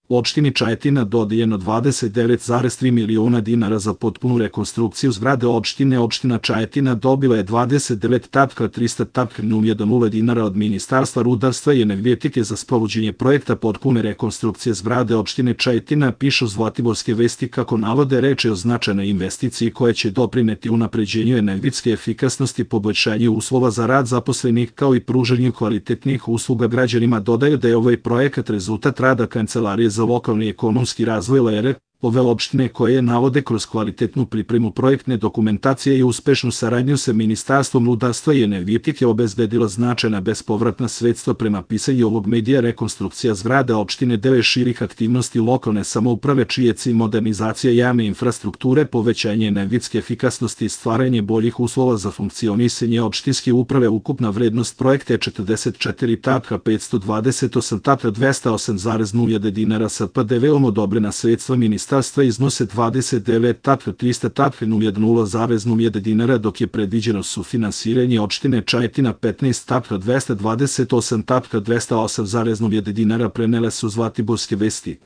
U opštini Čajetina dodijeljeno 29,3 miliona dinara za potpunu rekonstrukciju zgrade opštine. Opština Čajetina dobila je 29.300.010 dinara od Ministarstva rudarstva i energetike za sprovođenje projekta potpune rekonstrukcije zgrade opštine Čajetina, pišu Zlatiborske vesti. Kako navode, reč je o značajnoj investiciji koja će doprineti unapređenju energetske efikasnosti, poboljšanju uslova za rad zaposlenih kao i pružanju kvalitetnih usluga građanima. Dodaju da je ovaj projekat rezultat rada Kancelarije za lokalni i ekonomski razvoj LERE, ove opštine koje navode kroz kvalitetnu pripremu projektne dokumentacije i uspešnu saradnju sa Ministarstvom rudarstva i energetike obezbedila značajna bespovratna sredstva. Prema pisanju ovog medija, rekonstrukcija zgrade opštine deo je širih aktivnosti lokalne samouprave, čiji je cilj modernizacija javne infrastrukture, povećanje energetske efikasnosti i stvaranje boljih uslova za funkcionisanje opštinske uprave. Ukupna vrednost projekta je 44.528.208,0 dinara. Sa PDV-om odobrena sredstva ministarstva iznose 29.300.010,0 dinara, dok je predviđeno sufinansiranje opštine Čajetina 15.228.208,0 dinara, prenele su Zlatiborske vesti.